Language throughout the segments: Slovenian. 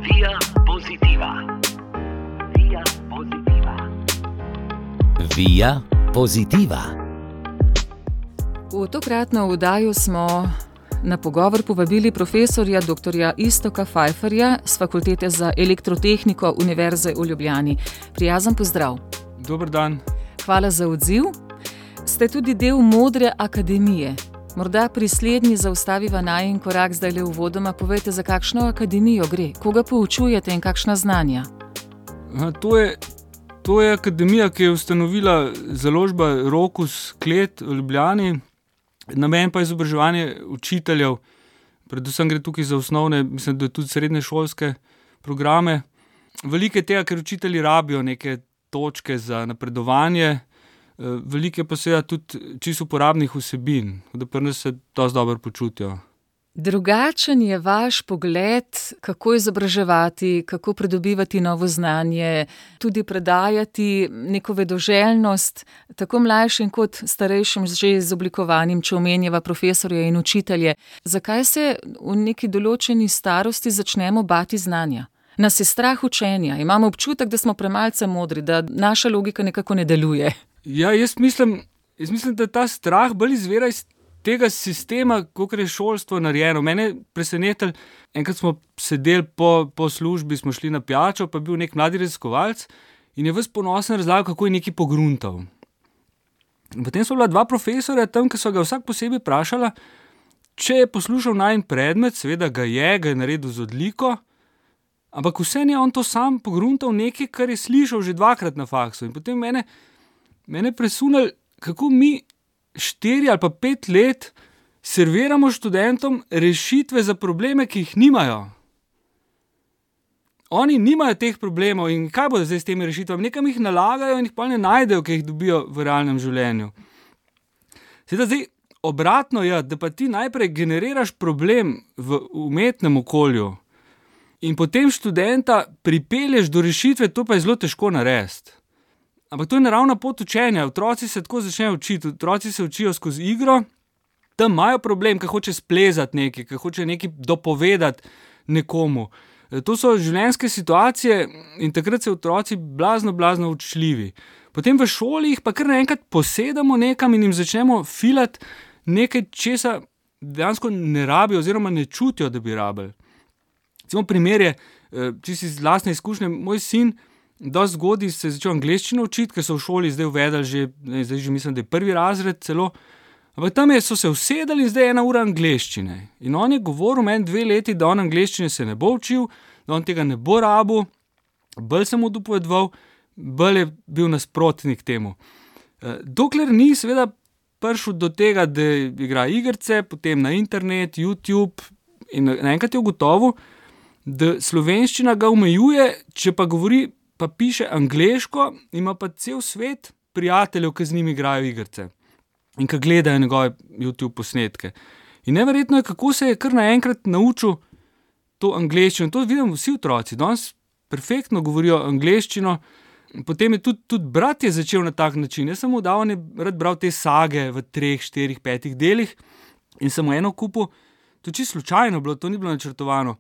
Via Positiva. Via Positiva. Via Positiva. V tokratno oddajo smo na pogovor povabili profesorja dr. Iztoka Pfeifferja z Fakultete za elektrotehniko Univerze v Ljubljani. Prijazen pozdrav. Dober dan. Hvala za odziv. Ste tudi del Modre akademije. Morda pri slednji zaustaviva najin korak zdajle uvodoma. Povejte, za kakšno akademijo gre, koga poučujete in kakšna znanja? To je akademija, ki je ustanovila založba Rokus Klet v Ljubljani. Namen pa je izobraževanje učiteljev. Predvsem gre tukaj za osnovne, mislim, da tudi srednješolske programe. Veliko je tega, ker učitelji rabijo neke točke za napredovanje. Veliko je pa seveda tudi čisto uporabnih vsebin, da pri nas se dosti dobro počutijo. Drugačen je vaš pogled, kako izobraževati, kako pridobivati novo znanje, tudi predajati neko vedoželjnost, tako mlajšim kot starejšim že izoblikovanim, če omenjava profesorje in učitelje. Zakaj se v neki določeni starosti začnemo bati znanja? Nas je strah učenja, imamo občutek, da smo premalce modri, da naša logika nekako ne deluje. Ja, jaz mislim, da ta strah bolj izvira iz tega sistema, kakor je šolstvo narejeno. Mene je presenetilo, enkrat smo sedeli po službi, smo šli na pijačo, pa je bil nek mladi raziskovalec in je ves ponosen razlagal, kako je nekaj pogruntal. In potem so bila dva profesorja tam, ki so ga vsak posebej vprašala, če je poslušal najin predmet, seveda ga je naredil z odliko, ampak vseeno je on to sam pogruntal nekaj, kar je slišal že dvakrat na faksu. In potem mene je presunilo, kako mi 4 ali pa 5 let serviramo študentom rešitve za probleme, ki jih nimajo. Oni nimajo teh problemov in kaj bodo zdaj s temi rešitvami? Nekam jih nalagajo in jih pa ne najdejo, ki jih dobijo v realnem življenju. Seveda zdaj obratno je, da pa ti najprej generiraš problem v umetnem okolju in potem študenta pripelješ do rešitve, to pa je zelo težko narediti. Ampak to je naravna pot učenja. Otroci se tako začnejo učiti. Otroci se učijo skozi igro, tam imajo problem, ki hoče splezati nekaj, ki hoče nekaj dopovedati nekomu. To so življenjske situacije in takrat so otroci blazno učljivi. Potem v šoli jih pa kar naenkrat posedamo nekam in jim začnemo filati nekaj, česa dejansko ne rabijo oziroma ne čutijo, da bi rabili. Recimo primer je, čisto iz lastne izkušnje, moj sin dosti zgodaj se je začel angleščino učiti, ker so v šoli zdaj uvedli zdaj že mislim, da je 1. razred celo, ampak tam so se usedali in zdaj je 1 ura angleščine. In on je govoril meni 2 leti, da on angleščine se ne bo učil, da on tega ne bo rabil, bolj sem mu dopovedoval, bolj je bil nasprotnik temu. Dokler ni seveda prišel do tega, da igra igrice, potem na internet, YouTube in naenkrat je ugotovil, da slovenščina ga omejuje, če pa govori pa piše angleško, ima pa cel svet prijateljev, ki z njimi igrajo igrice in ki gledajo njegove YouTube posnetke. In neverjetno je, kako se je kar naenkrat naučil to angleščino. To vidim vsi otroci, danes perfektno govorijo angleščino. Potem je tudi brat je začel na tak način. Jaz sem mu dal, on je rad bral te sage v 3, 4, 5 delih in sem mu eno kupil, to čisto slučajno bilo, to ni bilo načrtovano.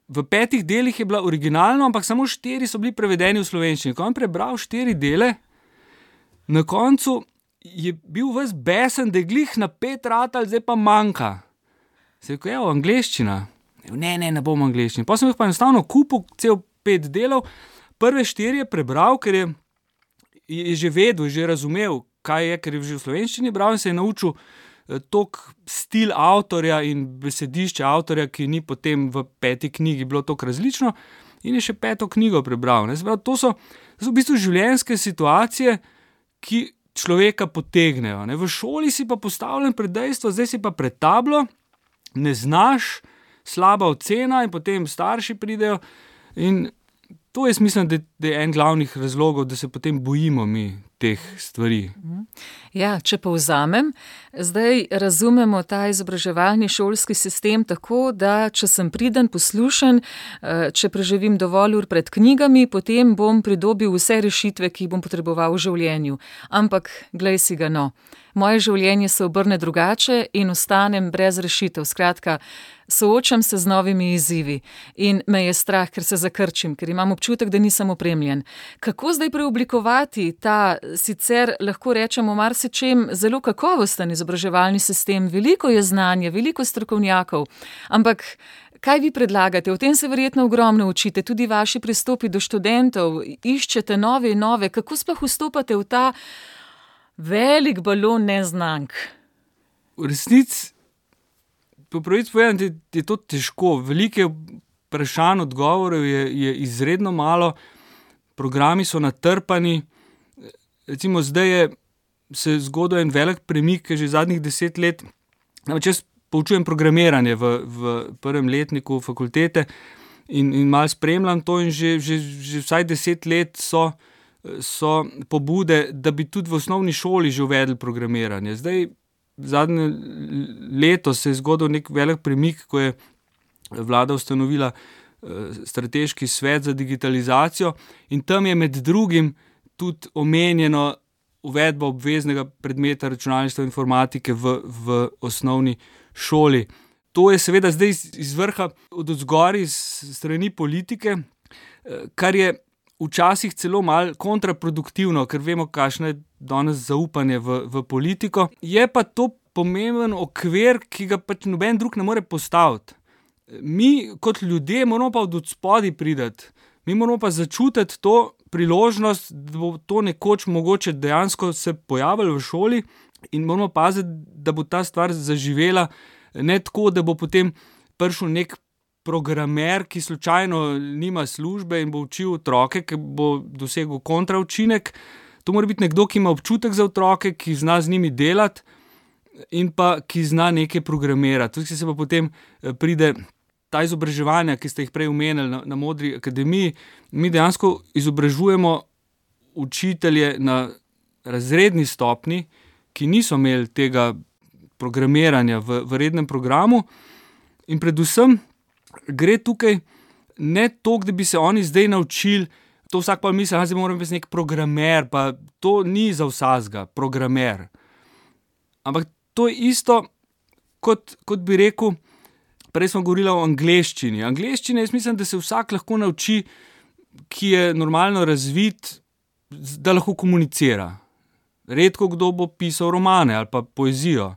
V 5 delih je bila originalno, ampak samo 4 so bili prevedeni v slovenščini. Ko on prebral 4 dele, na koncu je bil ves besen, da je glih na 5 ratal, zdaj pa manjka. Se je rekel, angleščina. Ne bom angleščina. Pa sem jih pa enostavno kupil cel 5 delov. Prve 4 je prebral, ker je že vedel, že razumel, kaj je, ker je že v slovenščini bral in se je naučil tok stil avtorja in besedišče avtorja, ki ni potem v 5. knjigi bilo toliko različno in je še 5. knjigo prebral. To so v bistvu življenjske situacije, ki človeka potegnejo. V šoli si pa postavljen pred dejstvo, zdaj si pa pred tablo, ne znaš, slaba ocena in potem starši pridejo in to jaz mislim, da je en glavnih razlogov, da se potem bojimo mi teh stvari. Ja, če povzamem, zdaj razumemo ta izobraževalni šolski sistem tako, da če sem priden, poslušen, če preživim dovolj ur pred knjigami, potem bom pridobil vse rešitve, ki jih bom potreboval v življenju. Ampak, glej si ga, no. Moje življenje se obrne drugače in ostanem brez rešitev. Skratka, soočam se z novimi izzivi in me je strah, ker se zakrčim, ker imam občutek, da nisem opremljen. Kako zdaj preoblikovati ta, sicer lahko rečemo marsičem, zelo kakovosten izobraževalni sistem? Veliko je znanja, veliko strokovnjakov, ampak kaj vi predlagate? O tem se verjetno ogromno učite, tudi vaši pristopi do študentov, iščete nove in nove. Kako sploh vstopate v ta velik balon neznank? V resnici, po pravici povedano, je to težko. Veliko vprašanj, odgovorov je izredno malo, programi so natrpani. Recimo zdaj se zgodil en velik premik, že zadnjih 10 let. Namreč jaz poučujem programiranje v prvem letniku fakultete in malo spremljam to in že vsaj 10 let so pobude, da bi tudi v osnovni šoli že uvedli programiranje. Zdaj, zadnje leto se je zgodil nek velik premik, ko je vlada ustanovila strateški svet za digitalizacijo in tam je med drugim tudi omenjeno uvedba obveznega predmeta računalništva in informatike v osnovni šoli. To je seveda zdaj iz vrha od odzgoraj, iz strani politike, kar je včasih celo malo kontraproduktivno, ker vemo, kakšno je danes zaupanje v politiko. Je pa to pomemben okvir, ki ga pač noben drug ne more postaviti. Mi kot ljudje moramo pa od spodaj priti. Mi moramo pa začutiti to priložnost, da bo to nekoč mogoče dejansko se pojavilo v šoli in moramo paziti, da bo ta stvar zaživela, ne tako, da bo potem prišel nek programer, ki slučajno nima službe in bo učil otroke, ki bo dosegel kontraučinek. To mora biti nekdo, ki ima občutek za otroke, ki zna z njimi delati in pa ki zna nekaj programirati. Tudi se pa potem pride ta izobraževanja, ki ste jih prej omenili na Modri akademiji. Mi dejansko izobražujemo učitelje na razredni stopnji, ki niso imeli tega programiranja v rednem programu in predvsem gre tukaj ne toliko, da bi se oni zdaj naučili, to vsak pa misli, da moram biti nek programer, pa to ni za vsakega programer. Ampak to je isto, kot bi rekel, prej smo govorili o angleščini. Angleščina, jaz mislim, da se vsak lahko nauči, ki je normalno razvit, da lahko komunicira. Redko kdo bo pisal romane ali pa poezijo.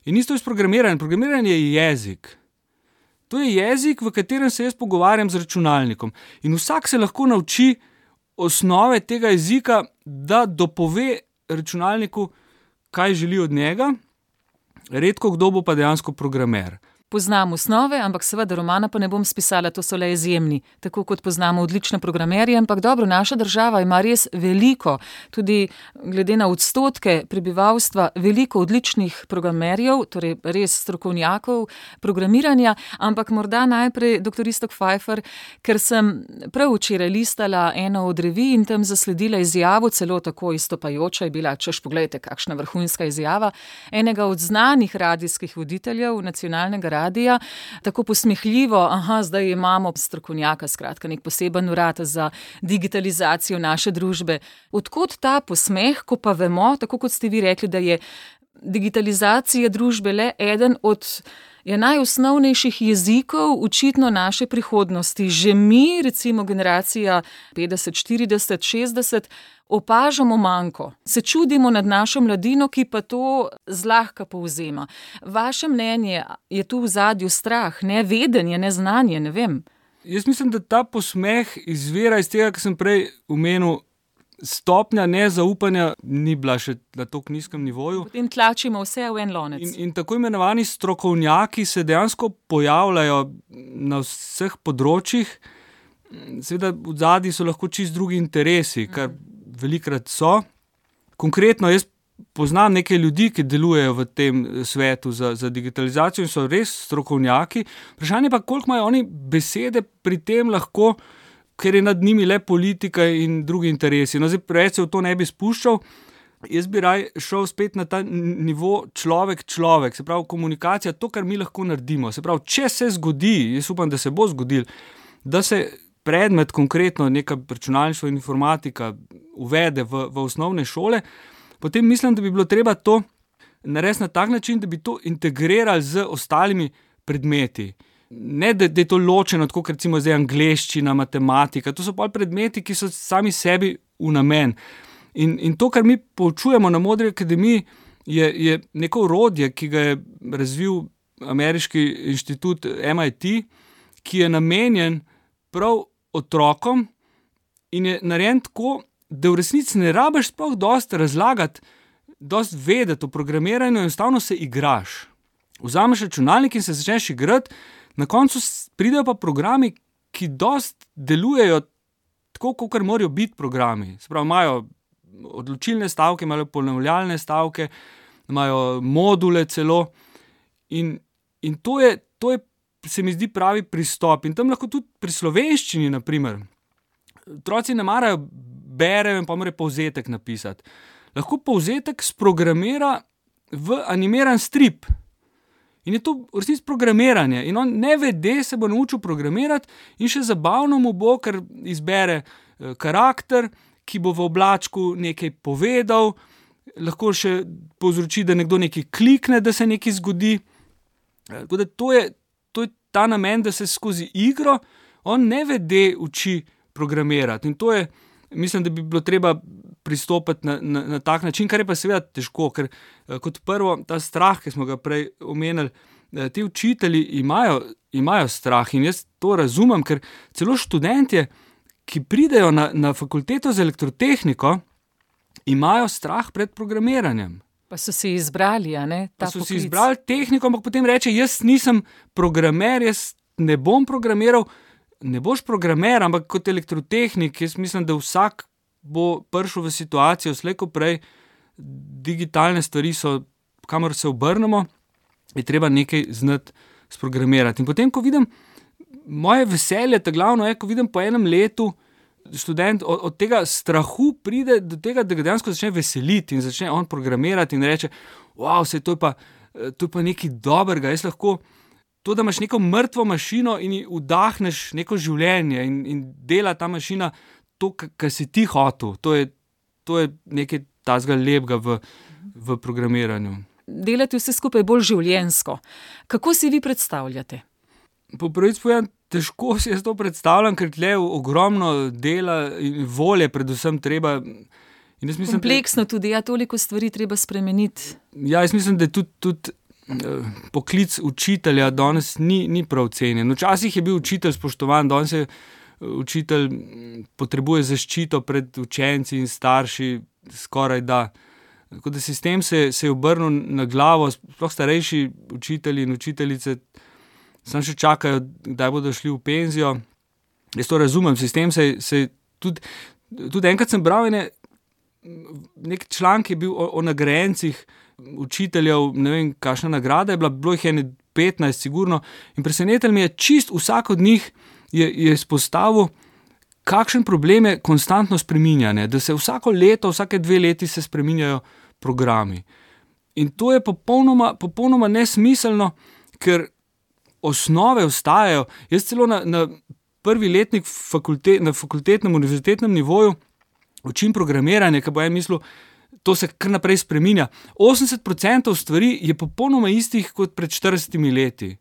In isto je s programiranjem. Programiranje je jezik. To je jezik, v katerem se jaz pogovarjam z računalnikom. In vsak se lahko nauči osnove tega jezika, da dopove računalniku, kaj želi od njega. Redko kdo bo pa dejansko programer. Poznam osnove, ampak seveda romana pa ne bom spisala, to so le izjemni. Tako kot poznamo odlične programerje, ampak dobro, naša država ima res veliko, tudi glede na odstotke prebivalstva, veliko odličnih programerjev, torej res strokovnjakov programiranja, ampak morda najprej dr. Iztok Pfeiffer, ker sem prav včeraj listala eno od revij in tam zasledila izjavo, celo tako izstopajoča je bila, češ poglejte, kakšna vrhunska izjava, enega od znanih radijskih voditeljev nacionalnega radija, tako posmehljivo, zdaj imamo strokovnjaka, skratka, nek poseben urad za digitalizacijo naše družbe. Odkot ta posmeh, ko pa vemo, tako kot ste vi rekli, da je digitalizacija družbe le eden od najosnovnejših jezikov očitno naše prihodnosti. Že mi, recimo generacija 50, 40, 60, opažamo manko. Se čudimo nad našo mladino, ki pa to zlahka povzema. Vaše mnenje, je tu v zadju strah, nevedenje, neznanje, ne vem? Jaz mislim, da ta posmeh izvira iz tega, kar sem prej omenil, stopnja nezaupanja ni bila še na tako nizkem nivoju. Potem tlačimo vse v en lonec. In tako imenovani strokovnjaki se dejansko pojavljajo na vseh področjih. Seveda v zadnji so lahko čisto drugi interesi, kar velikrat so. Konkretno jaz poznam nekaj ljudi, ki delujejo v tem svetu za digitalizacijo in so res strokovnjaki. Vprašanje pa, koliko imajo oni besede pri tem lahko ker je nad njimi le politika in drugi interesi. No, zdaj preveč se v to ne bi spuščal, jaz bi raj šel spet na ta nivo človek, se pravi komunikacija, to, kar mi lahko naredimo. Se pravi, če se zgodi, jaz upam, da se bo zgodil, da se predmet, konkretno neka računalništvo in informatika uvede v osnovne šole, potem mislim, da bi bilo treba to narediti na tak način, da bi to integrirali z ostalimi predmeti. Ne, da je to ločeno, tako kot recimo zdaj angleščina, matematika, to so pa predmeti, ki so sami sebi v namen. In to, kar mi poučujemo na Modri akademiji, je neko orodje, ki ga je razvil ameriški inštitut MIT, ki je namenjen prav otrokom in je narejen tako, da v resnici ne rabiš sploh dosti razlagati, dosti vedeti o programiranju, enostavno se igraš. Vzameš računalnik in se začneš igrati, na koncu pridejo pa programi, ki dosti delujejo tako, kakor morajo biti programi. Se pravi, imajo odločilne stavke, imajo ponavljalne stavke, imajo module celo in to je, se mi zdi, pravi pristop. In tam lahko tudi pri slovenščini, naprimer, otroci ne marajo berejo in pa morajo povzetek napisati. Lahko povzetek sprogramira v animiran strip. In je to v resnici programiranje. In on nevede se bo naučil programirati in še zabavno mu bo, ker izbere karakter, ki bo v oblačku nekaj povedal, lahko še povzroči, da nekdo nekaj klikne, da se nekaj zgodi. Tako da to je ta namen, da se skozi igro on nevede uči programirati. In to je, mislim, da bi bilo treba pristopiti na tak način, kar je pa seveda težko, ker kot prvo ta strah, ki smo ga prej omenili, ti učitelji imajo strah in jaz to razumem, ker celo študentje, ki pridejo na fakulteto za elektrotehniko, imajo strah pred programiranjem. Pa so si izbrali, a ne, ta poklic. Pa so si izbrali tehniko, ampak potem reče, jaz nisem programer, jaz ne bom programiral. Ne boš programer, ampak kot elektrotehnik, jaz mislim, da vsak bo prišel v situacijo, slej ko prej, digitalne stvari so, kamor se obrnemo, je treba nekaj znati sprogramirati. In potem, ko vidim, moje veselje, ta glavno je, ko vidim po enem letu, študent od tega strahu pride do tega, da ga dejansko začne veseliti in začne on programirati in reče, wow, to je pa nekaj dobrega, jaz lahko to, da imaš neko mrtvo mašino in ji vdahneš neko življenje in dela ta mašina to, kar si ti hotel. To je nekaj tazga lepega v programiranju. Delati vse skupaj bolj življenjsko. Kako si vi predstavljate? Po pravici povedano, težko si jaz to predstavljam, ker tle ogromno dela in volje predvsem treba. In jaz mislim, kompleksno tudi, toliko stvari treba spremeniti. Ja, jaz mislim, da je tudi poklic učitelja danes ni prav cenjen. Včasih je bil učitelj spoštovan, danes je učitelj potrebuje zaščito pred učenci in starši, skoraj da. Tako da sistem se je obrnil na glavo, sploh starejši učitelji in učiteljice samo še čakajo, kdaj bodo šli v penzijo. Jaz to razumem, sistem se tudi enkrat sem bral nek članek je bil o nagrajencih učiteljev, ne vem, kakšna nagrada je bila, bilo jih je 15 sigurno, in presenetil mi je, čist vsak od njih je izpostavil, kakšen problem je konstantno spreminjanje, da se vsako leto, vsake 2 leti se spreminjajo programi. In to je popolnoma nesmiselno, ker osnove ostajajo. Jaz celo na prvi letnik na fakultetnem, univerzitetnem nivoju učim programiranje, ker bo en mislil, to se kar naprej spreminja. 80% stvari je popolnoma istih kot pred 40 leti.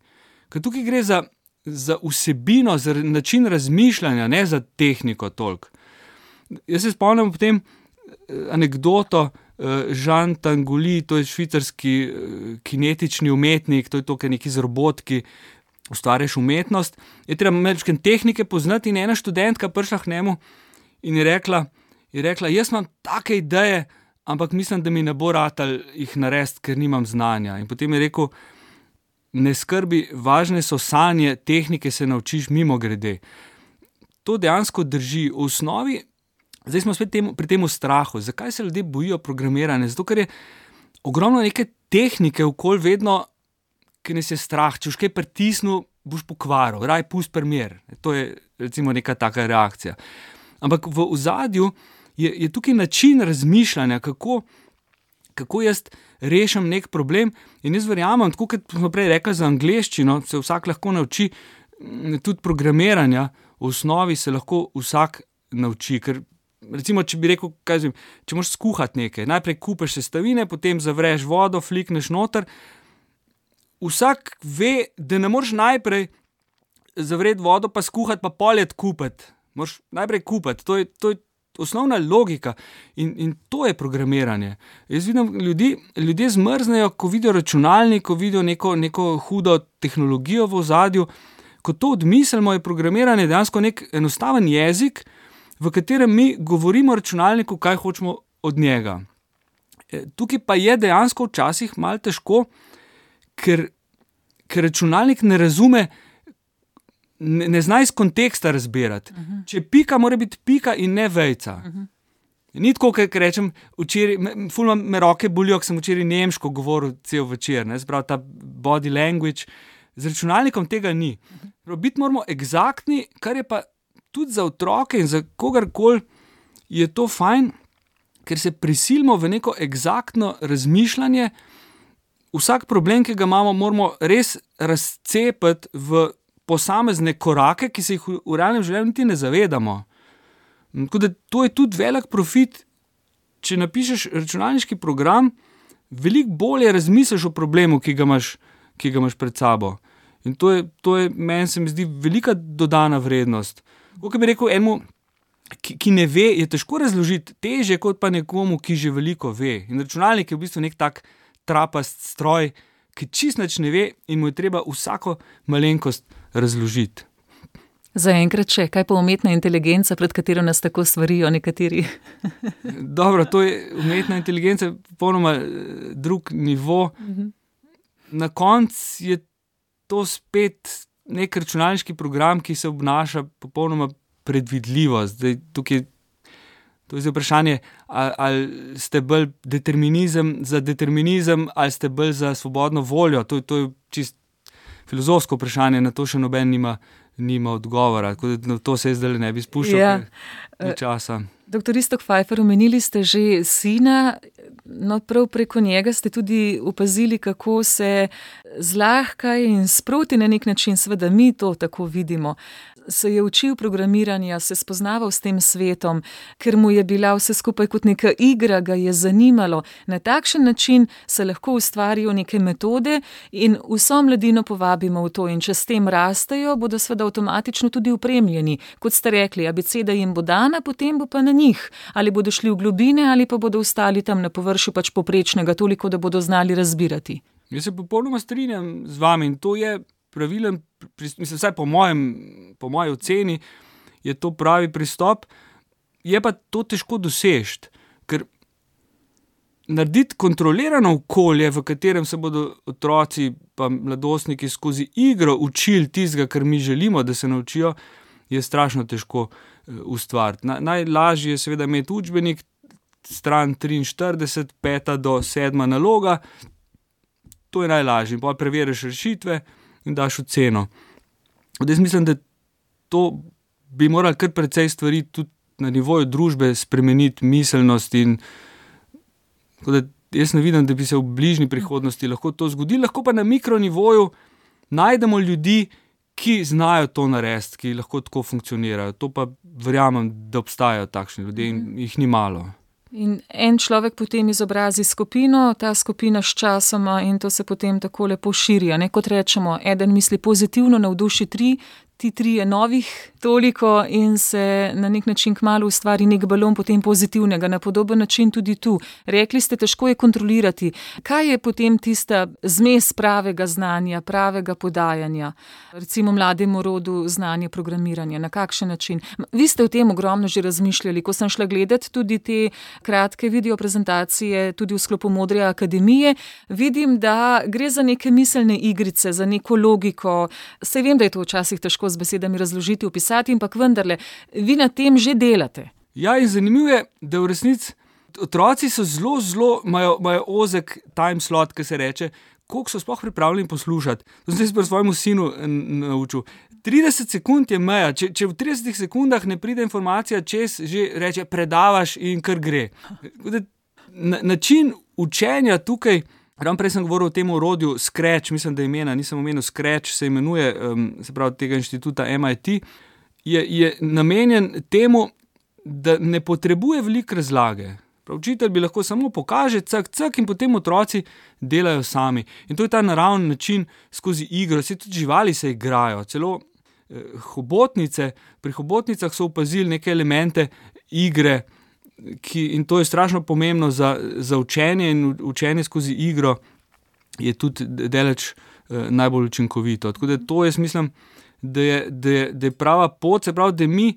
Ker tukaj gre za vsebino, za način razmišljanja, ne za tehniko toliko. Jaz se spomnim potem anekdoto Jean Tinguely, to je švicarski kinetični umetnik, to je to, kar neki z robotki ustvarjaš umetnost. Je treba malo tehnike poznati in ena študentka prišla k njemu in je rekla, jaz imam take ideje, ampak mislim, da mi ne bo ratalo jih narediti, ker nimam znanja. In potem je rekel, ne skrbi, važne so sanje, tehnike se naučiš mimogrede. To dejansko drži. V osnovi, zdaj smo spet pri tem strahu. Zakaj se ljudje bojijo programiranja? Zato, ker je ogromno neke tehnike okoli vedno, ki nas je strah. Če už kaj pritisnil, boš pokvaril, raj pusti primer. To je recimo neka taka reakcija. Ampak v ozadju je tukaj način razmišljanja, kako jaz rešim nek problem, in jaz verjamem, tako kot smo prej rekli za angleščino, se vsak lahko nauči, tudi programiranja, v osnovi se lahko vsak nauči, ker recimo, če bi rekel, če moraš skuhati nekaj, najprej kupiš sestavine, potem zavreš vodo, flikneš noter, vsak ve, da ne moreš najprej zavreti vodo, pa skuhati, pa poljet kupiti. Moraš najprej kupiti, to je osnovna logika in to je programiranje. Jaz vidim ljudje zmrznejo, ko vidijo računalnik, ko vidijo neko hudo tehnologijo v ozadju. Ko to odmislimo, je programiranje dejansko nek enostaven jezik, v katerem mi govorimo računalniku, kaj hočemo od njega. Tukaj pa je dejansko včasih malo težko, ker računalnik ne razume, ne zna iz konteksta razbirati. Če pika, mora biti pika in ne vejca. Ni tako, ker rečem, včeraj, ful me roke bolijo, ker sem včeraj nemško govoril cel večer, sprav ta body language, z računalnikom tega ni. Biti moramo eksaktni, kar je pa tudi za otroke in za kogarkoli je to fajn, ker se prisilimo v neko eksaktno razmišljanje. Vsak problem, ki ga imamo, moramo res razcepiti v posamezne korake, ki se jih v realnem življenju niti ne zavedamo. Tako da to je tudi velik profit, če napišeš računalniški program, veliko bolje razmisliš o problemu, ki ga imaš pred sabo. In to je meni se mi zdi velika dodana vrednost. Kako bi rekel enemu, ki ne ve, je težko razložiti, težje kot pa nekomu, ki že veliko ve. In računalnik je v bistvu nek tak trapast stroj, ki čisto nič ne ve in mu je treba vsako malenkost razložiti. Za enkrat še, kaj pa umetna inteligenca, pred katero nas tako svarijo nekateri? Dobro, to je umetna inteligenca, popolnoma drug nivo. Na koncu je to spet nek računalniški program, ki se obnaša popolnoma predvidljivo. Zdaj, tukaj, to je zdaj vprašanje, ali ste bolj za determinizem, ali ste bolj za svobodno voljo. To je čist filozofsko vprašanje, na to še noben nima odgovora. Tako da to se zdaj ne bi spuščal časa. Dr. Iztok Pfeiffer, omenili ste že sina, no prav preko njega ste tudi opazili, kako se zlahka in sproti na nek način, seveda mi to tako vidimo, se je učil programiranja, se spoznaval s tem svetom, ker mu je bila vse skupaj kot neka igra, ga je zanimalo. Na takšen način se lahko ustvarijo neke metode in vso mladino povabimo v to, in če s tem rastejo, bodo seveda avtomatično tudi opremljeni. Kot ste rekli, abeceda jim bo dana, potem bo pa na njih. Ali bodo šli v globine, ali pa bodo ostali tam na površju pač poprečnega, toliko, da bodo znali razbirati. Jaz se popolnoma strinjam z vami in to je pravilen, mislim, vsaj po moji oceni je to pravi pristop, je pa to težko doseči, ker narediti kontrolirano okolje, v katerem se bodo otroci pa mladostniki skozi igro učili tistega, kar mi želimo, da se naučijo, je strašno težko ustvariti. Najlažje je seveda imeti učbenik, stran 43, 5. do 7. naloga, to je najlažje, in pa preveriš rešitve in daš oceno. Jaz mislim, da to bi morali kar precej stvari tudi na nivoju družbe spremeniti, miselnost in da jaz ne vidim, da bi se v bližnji prihodnosti lahko to zgodilo, lahko pa na mikronivoju najdemo ljudi, ki znajo to narediti, ki lahko tako funkcionirajo. To pa verjamem, da obstajajo takšni ljudje in jih ni malo. In en človek potem izobrazi skupino, ta skupina s časoma in to se potem tako lepo širi. Kot rečemo, eden misli pozitivno, navduši 3, ti 3 je novih toliko in se na nek način kmalu ustvari nek balon potem pozitivnega, na podoben način tudi tu. Rekli ste, težko je kontrolirati. Kaj je potem tista zmes pravega znanja, pravega podajanja? Recimo mlademu rodu znanje programiranja, na kakšen način? Vi ste o tem ogromno že razmišljali, ko sem šla gledati tudi te kratke video prezentacije, tudi v sklopu Modre akademije, vidim, da gre za neke miselne igrice, za neko logiko. Saj vem, da je to včasih težko z besedami razložiti, opisati, ampak vendarle, vi na tem že delate. Ja, in zanimivo je, da v resnici otroci so zelo, imajo ozek time slot, ki se reče, koliko so sploh pripravljeni poslušati. To sem se pri svojemu sinu naučil. 30 sekund je meja. Če v 30 sekundah ne pride informacija čez, že reče predavaš in kar gre. Način učenja tukaj, ravno prej sem govoril o tem orodju Scratch, mislim, da imena, nisem omenil Scratch, se imenuje, se pravi tega inštituta MIT, je namenjen temu, da ne potrebuje veliko razlage. Učitelj bi lahko samo pokaže, cak in potem otroci delajo sami. In to je ta naravni način skozi igro. Saj tudi živali se igrajo. Celo hobotnice, pri hobotnicah so opazili neke elemente igre, in to je strašno pomembno za učenje, in učenje skozi igro je tudi daleč najbolj učinkovito. Tako da to jaz mislim, da je prava pot, se pravi, da mi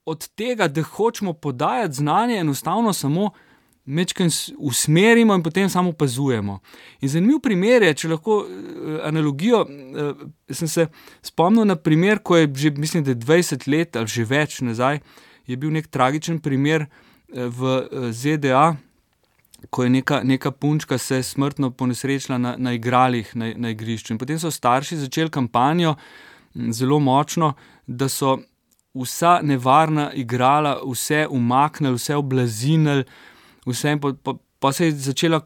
od tega, da hočemo podajati znanje, enostavno samo mečkaj usmerimo in potem samo opazujemo. In zanimiv primer je, če lahko analogijo, sem se spomnil na primer, ko je že, mislim, da 20 let ali že več nazaj, je bil nek tragičen primer v ZDA, ko je neka punčka se smrtno ponesrečila na igralih na igrišču. In potem so starši začeli kampanjo zelo močno, da so vsa nevarna igrala, vse umaknili, vse oblazinili, vse in pa se je začela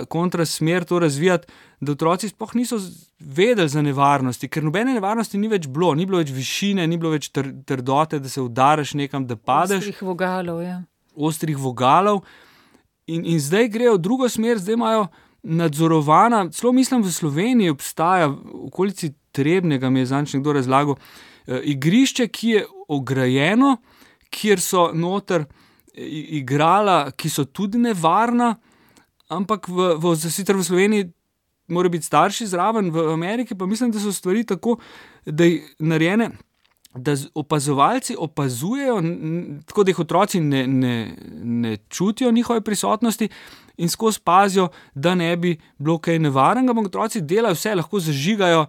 kontra smer to razvijati, da otroci sploh niso vedeli za nevarnosti, ker nobene nevarnosti ni več bilo, ni bilo več višine, ni bilo več trdote, da se udariš nekam, da padeš. Ostrih vogalov, ja. Ostrih vogalov. In zdaj grejo v drugo smer, zdaj imajo nadzorovana, celo mislim v Sloveniji obstaja, v okolici Trebnjega mi je zadnjič nekdo razlagal, igrišče, ki je ograjeno, kjer so noter igrala, ki so tudi nevarna, ampak sicer v Sloveniji mora biti starši zraven, v Ameriki pa mislim, da so stvari tako, da je narejene, da opazovalci opazujejo, tako da jih otroci ne čutijo njihove prisotnosti in skozi pazijo, da ne bi bilo kaj nevarnega, ampak otroci delajo vse, lahko zažigajo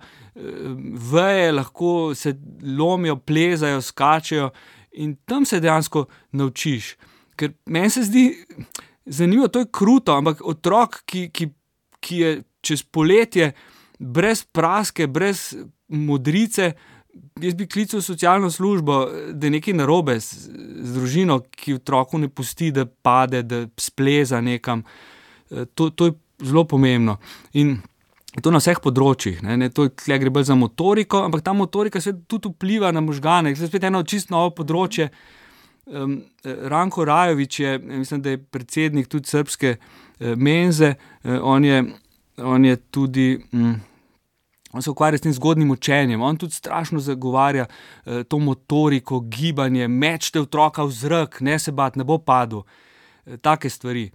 veje, lahko se lomijo, plezajo, skačejo in tam se dejansko naučiš. Ker meni se zdi zanimivo, to je kruto, ampak otrok, ki je čez poletje brez praske, brez modrice, jaz bi klical socialno službo, da je nekaj narobe z družino, ki otroku ne pusti, da pade, da spleza nekam. To je zelo pomembno. In to na vseh področjih. Tle gre bolj za motoriko, ampak ta motorika se tudi vpliva na možgane. To je spet eno čisto novo področje. Ranko Rajović je, mislim, da je predsednik tudi srbske menze, on je tudi, on se ukvarja s tem zgodnjim učenjem, on tudi strašno zagovarja to motoriko, gibanje, mečte otroka v zrak, ne se bat, ne bo padel, take stvari.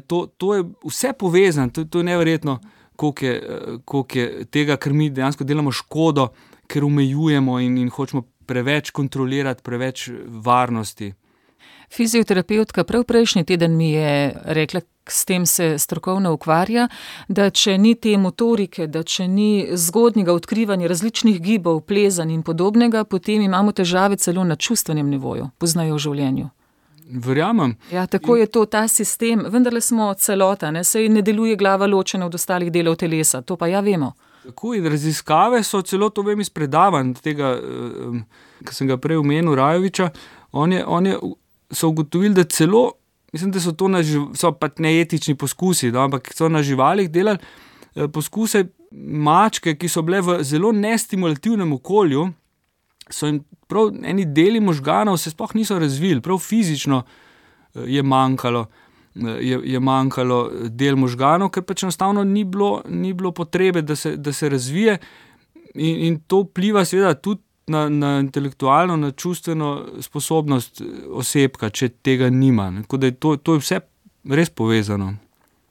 To je vse povezano, to je neverjetno, koliko je tega, ker mi dejansko delamo škodo, ker omejujemo in hočemo preveč kontrolirati, preveč varnosti. Fizioterapeutka prav prejšnji teden mi je rekla, s tem se strokovno ukvarja, da če ni te motorike, da če ni zgodnjega odkrivanja različnih gibov, plezanj in podobnega, potem imamo težave celo na čustvenem nivoju, poznajo v življenju. Verjamem. Ja, tako je to, ta sistem, vendarle smo celota, saj ne deluje glava ločena od ostalih delov telesa, to pa ja vemo. Tako, in raziskave so celo, to vem iz predavanj tega, ki sem ga prej omenil, Rajovića, so ugotovili, da celo, mislim, da so to so pa neetični poskusi, ampak so na živalih delali poskuse mačke, ki so bile v zelo nestimulativnem okolju, so jim prav eni deli možganov se sploh niso razvili, prav fizično je manjkalo del možganov, ker pač enostavno ni bilo potrebe, da se razvije in to vpliva seveda tudi na intelektualno, na čustveno sposobnost osebka, če tega nima. Tako da to je vse res povezano.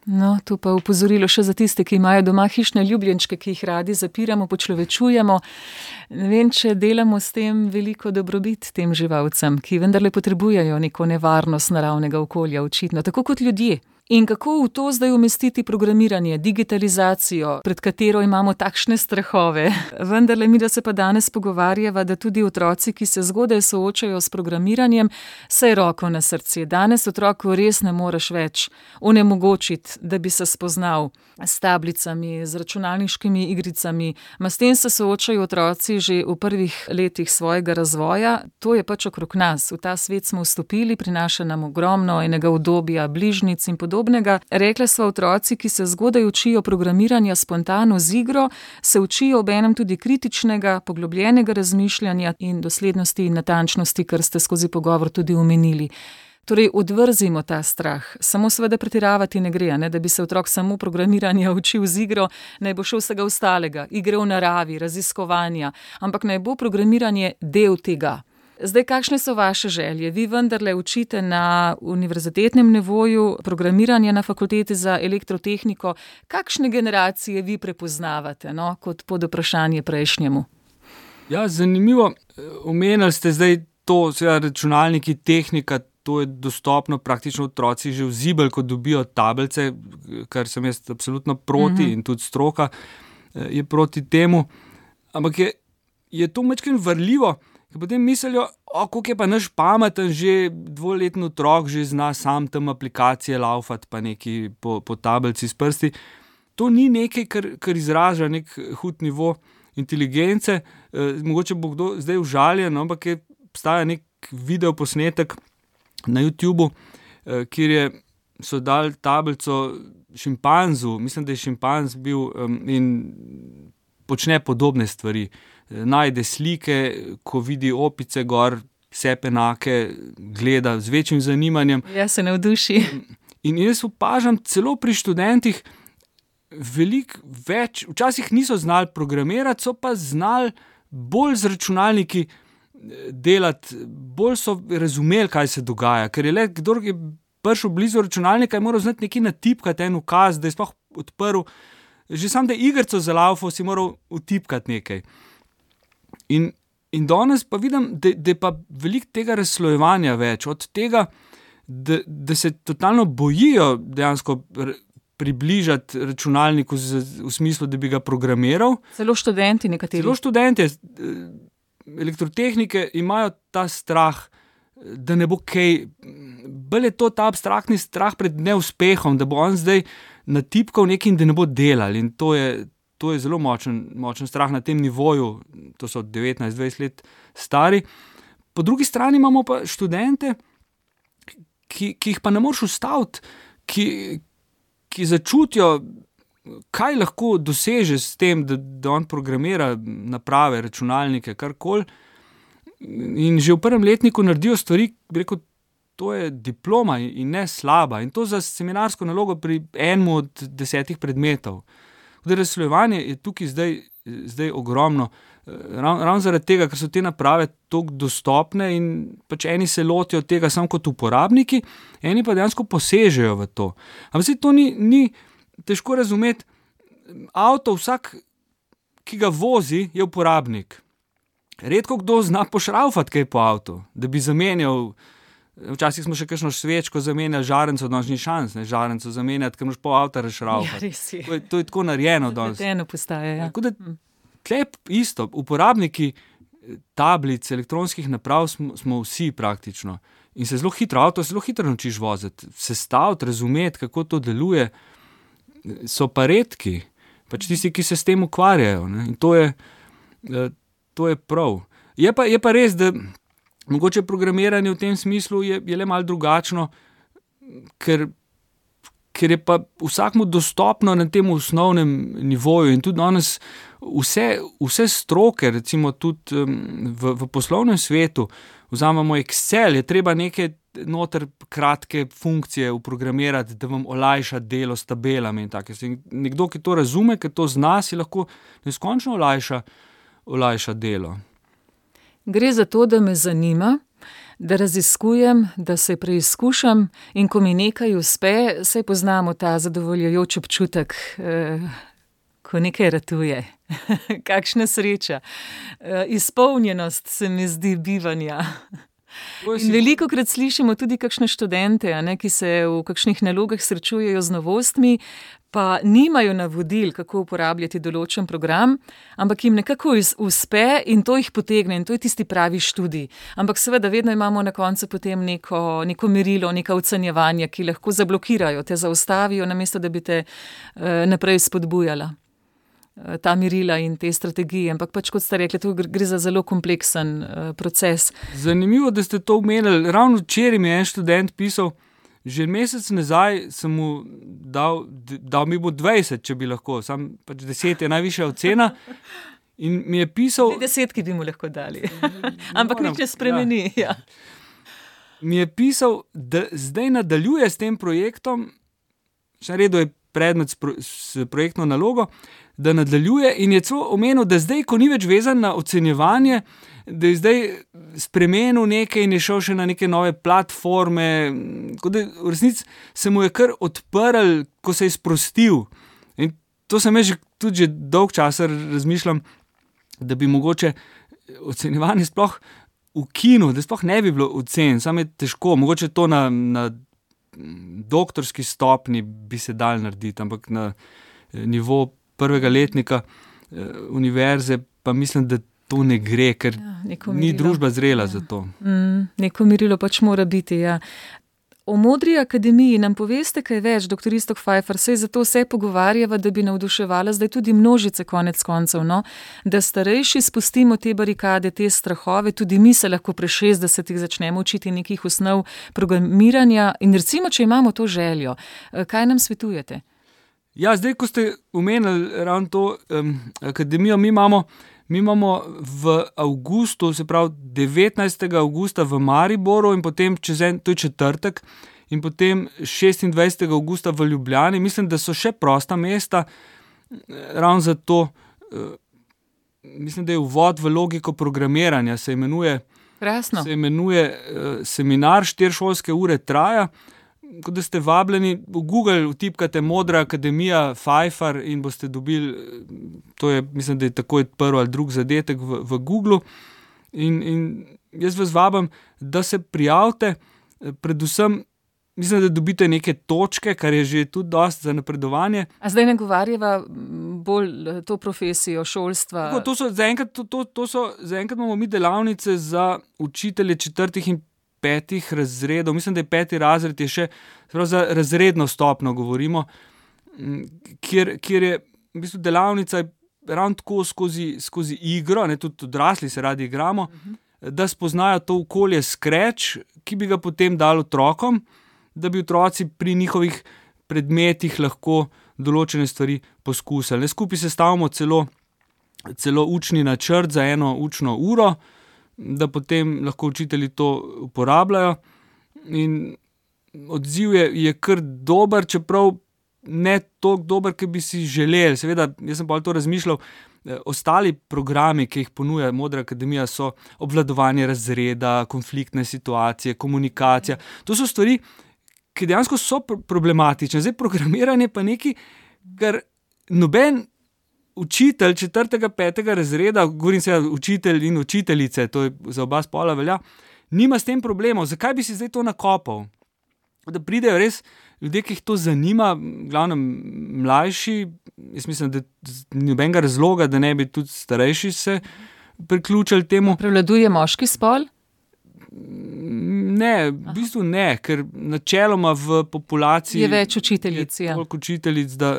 No, to pa opozorilo še za tiste, ki imajo doma hišne ljubljenčke, ki jih radi zapiramo, počlovečujemo. Ne vem, če delamo s tem veliko dobrobit tem živalcem, ki vendarle potrebujejo neko nevarnost naravnega okolja, očitno, tako kot ljudje. In kako v to zdaj umestiti programiranje, digitalizacijo, pred katero imamo takšne strahove? Vendarle mi, da se pa danes pogovarjava, da tudi otroci, ki se zgodaj soočajo s programiranjem, saj roko na srce. Danes otroku res ne moreš več onemogočiti, da bi se spoznal s tablicami, z računalniškimi igricami. S tem se soočajo otroci že v prvih letih svojega razvoja. To je pač okrog nas. V ta svet smo vstopili, prinaša nam ogromno enega udobja, bližnjic in podobnega. Rekla sva, otroci, ki se zgodaj učijo programiranja spontano z igro, se učijo obenem tudi kritičnega, poglobljenega razmišljanja in doslednosti in natančnosti, kar ste skozi pogovor tudi omenili. Torej, odvrzimo ta strah. Samo seveda pretiravati ne gre, ne? Da bi se otrok samo programiranja učil z igro, naj bo še vsega ostalega, igre v naravi, raziskovanja, ampak naj bo programiranje del tega. Zdaj, kakšne so vaše želje? Vi vendarle učite na univerzitetnem nivoju programiranje na fakulteti za elektrotehniko. Kakšne generacije vi prepoznavate, kot pod vprašanje prejšnjemu? Ja, zanimivo. Omenili ste zdaj to, seveda računalniki, tehnika, to je dostopno praktično otroci že v zibelj, ko dobijo tablice, kar sem jaz absolutno proti in tudi stroka je proti temu. Ampak je to majčkeno varljivo, ker potem mislijo, koliko je pa naš pameten, že 2-letni otrok že zna sam tam aplikacije laufati pa neki po tablici s prsti. To ni nekaj, kar izraža nek hud nivo inteligence. Mogoče bo kdo zdaj užaljen, ampak obstaja nek video posnetek na YouTubu, kjer so dali tablico šimpanzu, mislim, da je šimpanz bil in počne podobne stvari. Najde slike, ko vidi opice gor, vse enake, gleda z večjim zanimanjem. Ja, se navduši. In jaz opažam celo pri študentih veliko več, včasih niso znali programirati, so pa znali bolj z računalniki delati, bolj so razumeli, kaj se dogaja, ker je le, kdor je prišel blizu računalnika, je moral znati nekaj natipkati, en ukaz, da je sploh odprl, že sam, da je igrico za laufo, si moral utipkati nekaj. In danes pa vidim, da je pa veliko tega razslojevanja več, od tega, da se totalno bojijo dejansko približati računalniku v smislu, da bi ga programiral. Celo študenti nekateri. Celo študenti elektrotehnike imajo ta strah, da ne bo kaj, bolj je to ta abstraktni strah pred neuspehom, da bo on zdaj natipkal nekaj in da ne bo delal. In to je zelo močen strah na tem nivoju, to so 19-20 let stari. Po drugi strani imamo pa študente, ki jih pa ne moreš ustaviti, ki začutijo, kaj lahko doseže s tem, da on programira naprave, računalnike, karkoli. In že v prvem letniku naredijo stvari, bi rekel, to je diploma in ne slaba. In to za seminarsko nalogo pri enem od 10 predmetov. Razslojevanje je tukaj zdaj ogromno. Ravno zaradi tega, ker so te naprave toliko dostopne in pač eni se lotijo tega samo kot uporabniki, eni pa dejansko posežejo v to. Ampak se to ni težko razumeti. Avto, vsak, ki ga vozi, je uporabnik. Redko kdo zna pošraufati kaj po avtu, da bi zamenjal. Včasih smo še kakšno svečko zamenjali, žarenco, danes ni šans, žarenco zamenjati, ker moraš pol avta rešraufati. Ja, to je tako narejeno danes. Zapleteno postaje, ja. Tako da tle isto, uporabniki tablic, elektronskih naprav smo vsi praktično. In se zelo hitro naučiš voziti, sestaviti, razumeti, kako to deluje. So pa redki, pač tisti, ki se s tem ukvarjajo. Ne? In to je prav. Je pa res, da mogoče programiranje v tem smislu je le malo drugačno, ker je pa vsakmu dostopno na tem osnovnem nivoju in tudi danes vse stroke, recimo tudi v poslovnem svetu, vzamemo Excel, je treba neke noter kratke funkcije uprogramirati, da vam olajša delo s tabelami in tako. Nekdo, ki to razume, ki to zna, si lahko neskončno olajša delo. Gre za to, da me zanima, da raziskujem, da se preizkušam in ko mi nekaj uspe, saj poznamo ta zadovoljujoč občutek, ko nekaj ratuje. Kakšna sreča. Izpolnjenost se mi zdi bivanja. In velikokrat slišimo tudi kakšne študente, ki se v kakšnih nalogah srečujejo z novostmi, pa nimajo navodil, kako uporabljati določen program, ampak jim nekako uspe in to jih potegne in to je tisti pravi študij. Ampak seveda vedno imamo na koncu potem neko merilo, neka ocenjevanja, ki lahko zablokirajo, te zaustavijo, namesto da bi te naprej spodbujala. Ta merila in te strategije, ampak pač kot ste rekli, to gre za zelo kompleksen proces. Zanimivo, da ste to omenili. Ravno včeraj mi je en študent pisal, že mesec nazaj sem mu dal mi bo 20, če bi lahko, sam pač 10 je najvišja ocena in mi je pisal... 10 bi mu lahko dali, ampak nič ne spremeni. Ja. Mi je pisal, da zdaj nadaljuje s tem projektom, še naredil je predmet s projektno nalogo, da nadaljuje in je celo omenil, da zdaj, ko ni več vezan na ocenjevanje, da je zdaj spremenil nekaj in je šel še na neke nove platforme, kot da v resnici se mu je kar odprl, ko se je sprostil. In to sem jaz tudi že dolg časa razmišljam, da bi mogoče ocenjevanje sploh ukinil, da sploh ne bi bilo ocen, samo je težko, mogoče to na doktorski stopni bi se dal narediti, ampak na nivo prvega letnika univerze pa mislim, da to ne gre, ker ni družba zrela za to. Neko merilo pač mora biti, ja. O Modri akademiji nam poveste kaj več, dr. Iztok Pfeiffer, saj zato se pogovarjava, da bi navduševala zdaj tudi množice konec koncev, no? Da starejši spustimo te barikade, te strahove, tudi mi se lahko pri 60-ih začnemo učiti nekih osnov programiranja in recimo, če imamo to željo, kaj nam svetujete? Ja, zdaj, ko ste omenili ravno to akademijo, mi imamo v avgustu, se pravi 19. avgusta v Mariboru in potem to je četrtek, in potem 26. avgusta v Ljubljani. Mislim, da so še prosta mesta, ravno zato, mislim, da je uvod v logiko programiranja, se imenuje seminar, 4 šolske ure traja. Ko da ste vabljeni, v Google vtipkate Modra akademija Pfeiffer in boste dobili, to je, mislim, da je takoj prvi ali drugi zadetek v Googlu in jaz vas vabim, da se prijavite, predvsem mislim, da dobite neke točke, kar je že tudi dosti za napredovanje. A zdaj ne govarjava bolj to profesijo šolstva? Tako, zaenkrat imamo mi delavnice za učitelje 4. in 5. razredov, mislim, da je 5. razred je še, za razredno stopno govorimo, kjer je v bistvu delavnica ravno tako skozi igro, ne, tudi odrasli se radi igramo, da spoznajo to okolje Scratch, ki bi ga potem dali otrokom, da bi otroci pri njihovih predmetih lahko določene stvari poskusili. Skupaj sestavimo celo učni načrt za eno učno uro, da potem lahko učitelji to uporabljajo in odziv je kar dober, čeprav ne toliko dober, ki bi si želeli. Seveda, jaz sem pa to razmišljal, ostali programi, ki jih ponuja Modra akademija, so obvladovanje razreda, konfliktne situacije, komunikacija. To so stvari, ki dejansko so problematične. Zdaj, programiranje pa nekaj, kar noben učitelj 4. 5. razreda, govorim se učitelj in učiteljice, to je za oba spola velja, nima s tem problemov. Zakaj bi si zdaj to nakopal? Da pridejo res ljudje, ki jih to zanima, glavno mlajši, jaz mislim, da ni nobenega razloga, da ne bi tudi starejši se priključili temu. Prevladuje moški spol? Ne, v bistvu ne, ker načeloma v populaciji je več učiteljic, je toliko učiteljic, da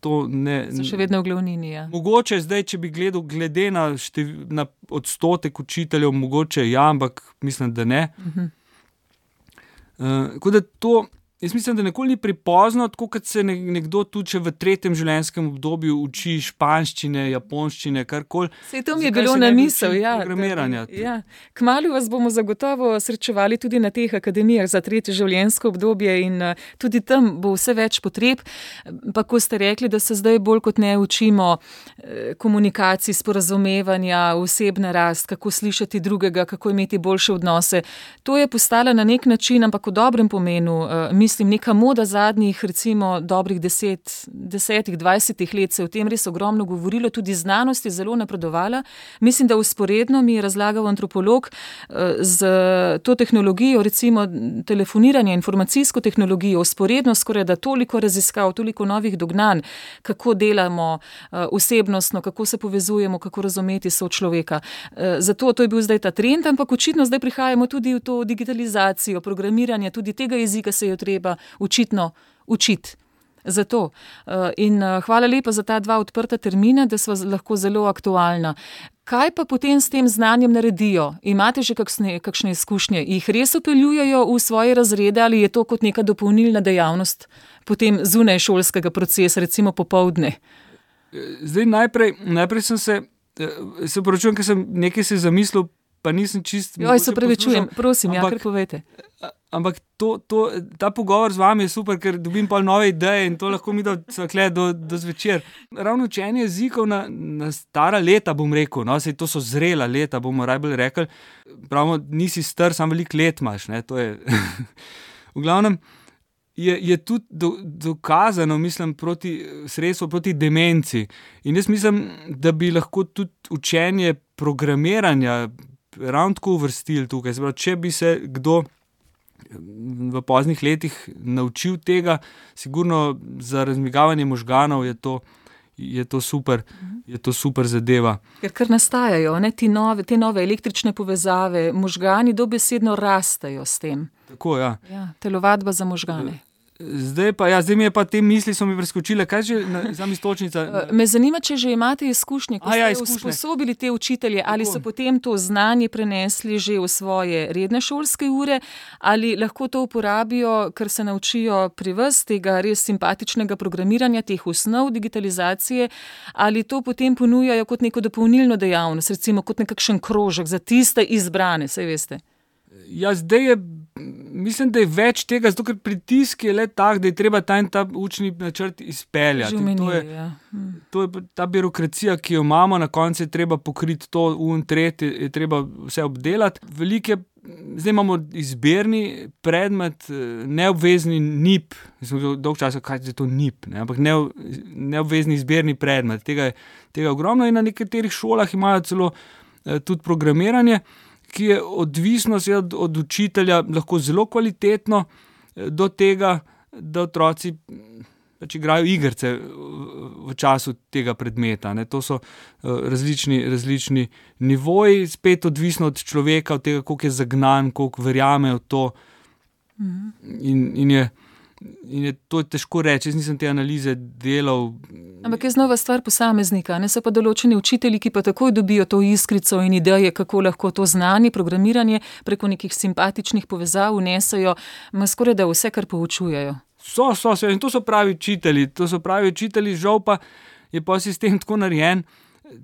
to ne... So še vedno v glavnini, ja. Mogoče zdaj, če bi glede na odstotek učiteljev, mogoče ja, ampak mislim, da ne. Tako da to, jaz mislim, da nikoli ni prepozno, tako kot se nekdo tudi še v 3. življenjskem obdobju uči španščine, japonščine, karkoli. Sej to mi je bilo na misel, ja. Programiranja. Ja. Kmalu vas bomo zagotovo srečevali tudi na teh akademijah za 3. življenjsko obdobje in tudi tam bo vse več potreb. Pa ko ste rekli, da se zdaj bolj kot ne učimo komunikacij, sporazumevanja, osebna rast, kako slišati drugega, kako imeti boljše odnose. To je postala na nek način, ampak v dobrem pomenu, mislim, neka moda zadnjih recimo dobrih 10-20 let se je o tem res ogromno govorilo, tudi znanost je zelo napredovala. Mislim, da usporedno mi je razlagal antropolog z to tehnologijo, recimo telefoniranje, informacijsko tehnologijo, usporedno skoraj da toliko raziskav, toliko novih dognanj, kako delamo osebnostno, kako se povezujemo, kako razumeti sočloveka. Zato to je bil zdaj ta trend, ampak očitno zdaj prihajamo tudi v to digitalizacijo, programiranje, tudi tega jezika se je treba očitno učiti. Zato. In hvala lepa za ta 2 odprta termina, da sva lahko zelo aktualna. Kaj pa potem s tem znanjem naredijo? Imate že kakšne izkušnje? Jih res upeljujejo v svoje razrede ali je to kot neka dopolnilna dejavnost potem zunaj šolskega procesa, recimo popoldne? Zdaj najprej sem se poročujem, ker sem nekaj se zamislil, pa nisem čist... Joj, se prevečujem, prosim, kar povejte. Ampak ta pogovor z vami je super, ker dobim pol nove ideje in to lahko mi do zvečer. Ravno učenje jezikov na stara leta, bom rekel, no, sej to so zrela leta, bomo najbolj rekli. Pravimo, nisi star, samo veliko let imaš, ne, to je... V glavnem, je tudi dokazano, mislim, sredstvo proti demenci. In jaz mislim, da bi lahko tudi učenje programiranja ravno tako uvrstili tukaj. Zdaj, če bi se kdo v poznih letih naučil tega, sigurno za razmigavanje možganov je to super zadeva. Ker kar nastajajo, ne, te nove električne povezave, možgani dobesedno rastejo s tem. Tako, ja. Ja, telovadba za možgane. Zdaj mi je pa te misli so mi preskočile. Kaj že za istočnica? Me zanima, če že imate izkušnje, ko ste usposobili te učitelje, ali so potem to znanje prenesli že v svoje redne šolske ure, ali lahko to uporabijo, ker se naučijo pri vas tega res simpatičnega programiranja, teh osnov digitalizacije, ali to potem ponujajo kot neko dopolnilno dejavnost, recimo kot nekakšen krožek za tiste izbrane, saj veste. Ja, zdaj mislim, da je več tega, zato ker pritisk je le tak, da je treba ta učni načrt izpeljati. To je ta birokracija, ki jo imamo, na koncu je treba pokriti to, tretje, je treba vse obdelati. Zdaj imamo izberni predmet, neobvezni NIP, dolgo časa, kaj je to NIP, ne? Ampak neobvezni izberni predmet, tega je ogromno in na nekaterih šolah imajo celo tudi programiranje, ki je odvisno od učitelja lahko zelo kvalitetno do tega, da otroci pač igrajo igrice v času tega predmeta. Ne. To so različni nivoji, spet odvisno od človeka, od tega, koliko je zagnan, koliko verjame v to. In je to težko reči, jaz nisem te analize delal. Ampak je znova stvar posameznika, ne so pa določeni učitelji, ki pa takoj dobijo to iskrico in ideje, kako lahko to znanje, programiranje preko nekih simpatičnih povezav vnesejo, skoraj da vse, kar poučujejo. In to so pravi učitelji, žal pa je pa sistem tako narejen,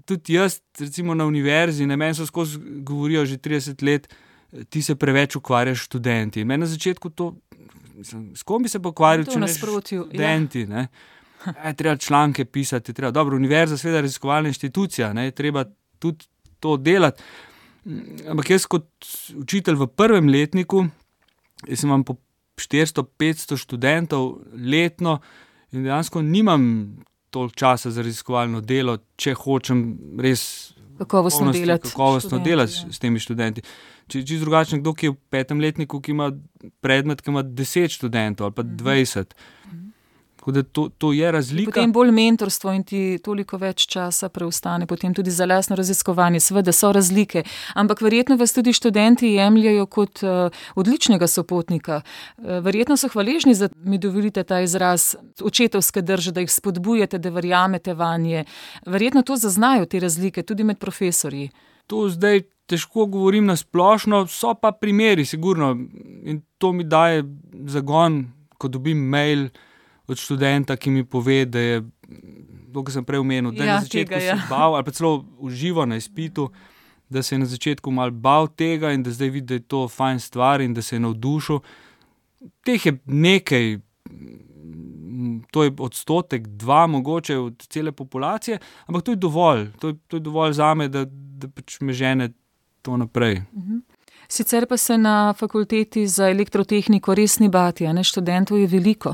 tudi jaz, recimo na univerzi, meni so skozi govorijo že 30 let, ti se preveč ukvarjaš študenti. Meni na začetku to, s kom bi se pokvaril, če ne študenti, ne? Treba članke pisati, dobro, univerza, seveda raziskovalna inštitucija, ne? Treba tudi to delati. Ampak jaz kot učitelj v prvem letniku, jaz imam po 400-500 študentov letno in dejansko nimam toliko časa za raziskovalno delo, če hočem res kakovostno delati s temi študenti. Čisto drugačno, kdo ki je v 5. letniku, ki ima predmet, ki ima 10 študentov ali pa 20. Tako da to je razlika. Potem bolj mentorstvo in ti toliko več časa preostane, potem tudi za lastno raziskovanje. Seveda so razlike, ampak verjetno vas tudi študenti jemljajo kot odličnega sopotnika. Verjetno so hvaležni, da mi dovolite ta izraz očetovske drže, da jih spodbujate, da verjamete vanje. Verjetno to zaznajo te razlike tudi med profesorji. To zdaj težko govorim na splošno, so pa primeri, sigurno. In to mi daje zagon, ko dobim mail od študenta, ki mi pove, da je, kot sem prej omenil, da je na začetku se bal, ali pa celo uživo na izpitu, da se je na začetku malo bal tega in da zdaj vidi, da je to fajn stvar in da se je navdušil. Teh je nekaj, to je 1%-2% mogoče od cele populacije, ampak to je dovolj. To je dovolj zame, da pač me žene to naprej. Sicer pa se na fakulteti za elektrotehniko res ni bati, a ne, študentov je veliko.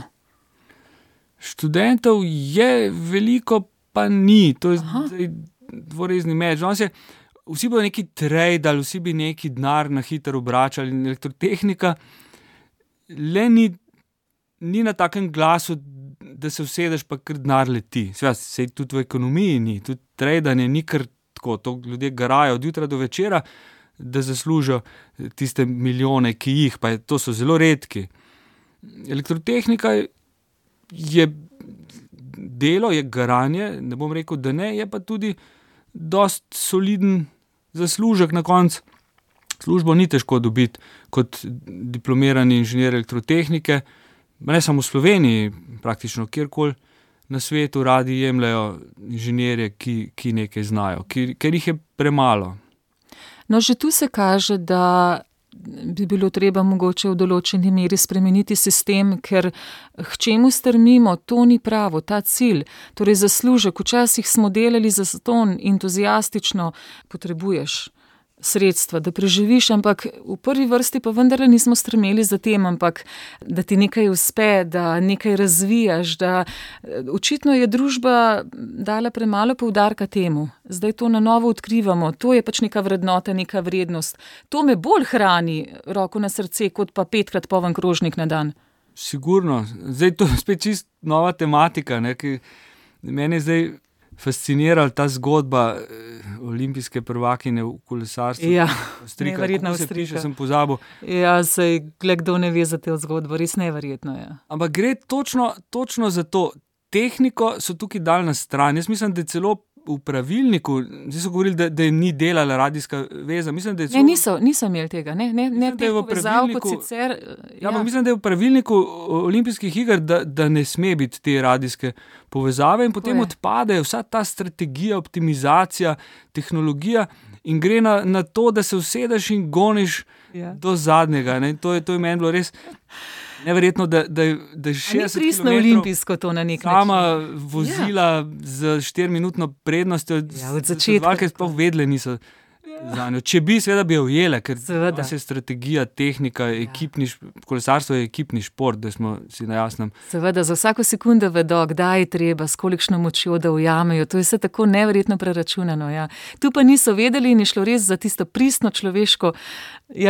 Študentov je veliko, pa ni. To je zdaj dvorezni meč. Vsi bodo neki tradali, vsi bi neki denar na hitro obračali in elektrotehnika le ni na takem glasu, da se usedeš pa kar denar leti. Sej tudi v ekonomiji ni, tudi tradanje ni kar tako, to ljudje garajo od jutra do večera, da zaslužijo tiste milijone, ki jih, pa to so zelo redki. Elektrotehnika je delo, je garanje, ne bom rekel, da ne, je pa tudi dost soliden zaslužek na koncu. Službo ni težko dobiti kot diplomirani inženir elektrotehnike, ne samo v Sloveniji, praktično kjerkoli na svetu radi jemljajo inženirje, ki nekaj znajo, ker jih je premalo. No, že tu se kaže, da bi bilo treba mogoče v določeni meri spremeniti sistem, ker k čemu strmimo, to ni pravo, ta cilj. Torej zaslužek, včasih smo delali zastonj, entuziastično, potrebuješ sredstva, da preživiš, ampak v prvi vrsti pa vendarle nismo stremeli za tem, ampak da ti nekaj uspe, da nekaj razvijaš, da očitno je družba dala premalo poudarka temu. Zdaj to na novo odkrivamo, to je pač neka vrednota, neka vrednost. To me bolj hrani, roko na srce, kot pa 5krat poln krožnik na dan. Sigurno. Zdaj to je spet čist nova tematika, ne, ki mene je zdaj fascinirala ta zgodba olimpijske prvakinje v kolesarstvu. Ja, neverjetna Avstrijka. Sem pozabil. Ja, sej, kdo ne ve za te zgodbo, res neverjetno je. Ampak gre točno za to. Tehniko so tukaj dali na stran. Jaz mislim, da je celo v pravilniku, zdaj so govorili, da je ni delala radijska veza. Mislim, da je celo... Ne, niso imeli tega, ne teh povezav kot sicer. Ja, ampak mislim, da je v pravilniku olimpijskih iger, da ne sme biti te radijske povezave in potem odpade vsa ta strategija, optimizacija, tehnologija in gre na to, da se usedeš in goniš do zadnjega. Ne? To je meni bilo res neverjetno, da je 60 km pristno olimpijsko to na nek način. Sama vozila z 4-minutno prednostjo, od začetka. Ker sploh vedle niso zanjo. Če bi, seveda bi jo ujele, ker se strategija, tehnika, kolesarstvo je ekipni šport, da smo si na jasnem. Seveda, za vsako sekundo vedo, kdaj je treba, s kolikšno močjo, da ujamejo. To je vse tako neverjetno preračunano. Ja. Tu pa niso vedeli in je šlo res za tisto pristno človeško,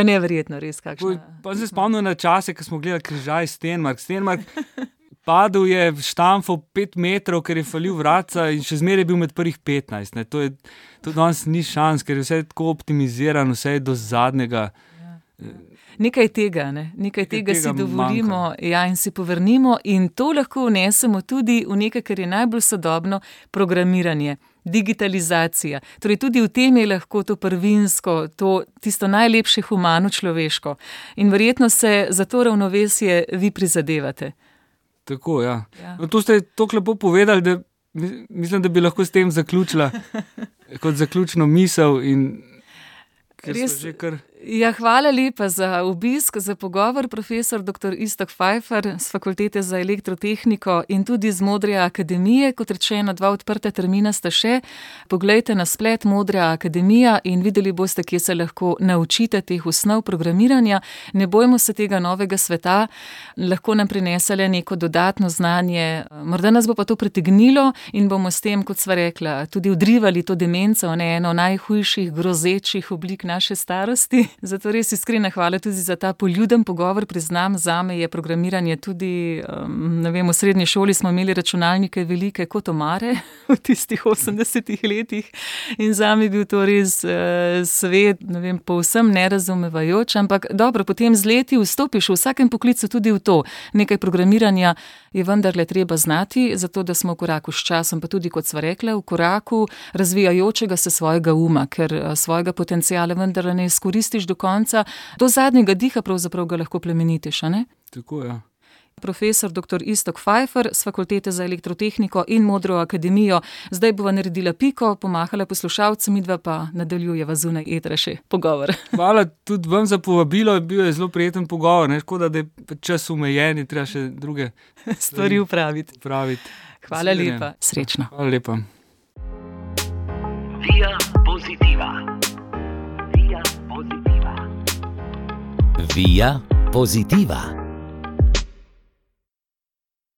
neverjetno res kakšno. Pa se spomnim na čase, ko smo gledali križaj Stenmark. Padel je štamfal 5 metrov, ker je falil vratca in še zmeraj je bil med prvih 15. Ne. To danes ni šans, ker je vse tako optimizirano, vse je do zadnjega. Nekaj tega si dovolimo in si povrnimo in to lahko vnesemo tudi v nekaj, kar je najbolj sodobno, programiranje, digitalizacija. Torej tudi v tem je lahko to prvinsko, tisto najlepše humano človeško. In verjetno se za to ravnovesje vi prizadevate. Tako, ja. No, to ste tako lepo povedali, da mislim, da bi lahko s tem zaključila kot zaključno misel in res, hvala lepa za obisk, za pogovor, profesor dr. Iztok Pfeiffer z Fakultete za elektrotehniko in tudi z Modre akademije. Kot rečeno, 2 odprta termina sta še. Poglejte na splet Modra akademija in videli boste, kje se lahko naučite teh osnov programiranja. Ne bojmo se tega novega sveta, lahko nam prinesele neko dodatno znanje. Morda nas bo pa to pritegnilo in bomo s tem, kot sva rekla, tudi odrivali to demenco, eno najhujših, grozečih oblik naše starosti. Zato res iskrena hvala tudi za ta poljuden pogovor. Priznam, zame je programiranje tudi, v srednji šoli smo imeli računalnike velike kot omare v tistih 80-ih letih in zame je bil to res svet, povsem nerazumevajoč, ampak dobro, potem z leti vstopiš v vsakem poklicu tudi v to. Nekaj programiranja je vendarle treba znati, zato da smo v koraku s časom, pa tudi, kot sva rekla, v koraku razvijajočega se svojega uma, ker svojega potenciala vendarle ne izkoristiš do konca, do zadnjega diha pravzaprav ga lahko plemenitiš, a ne? Tako, ja. Profesor dr. Iztok Pfeiffer z Fakultete za elektrotehniko in Modro akademijo. Zdaj bova naredila piko, pomahala poslušalcem, midva pa nadaljujeva zunaj etra še pogovor. Hvala tudi vam za povabilo, bil je zelo prijeten pogovor, škoda, da je čas omejen in treba še druge stvari upraviti. Hvala lepa, srečno. Hvala lepa. Via Positiva. Via Positiva.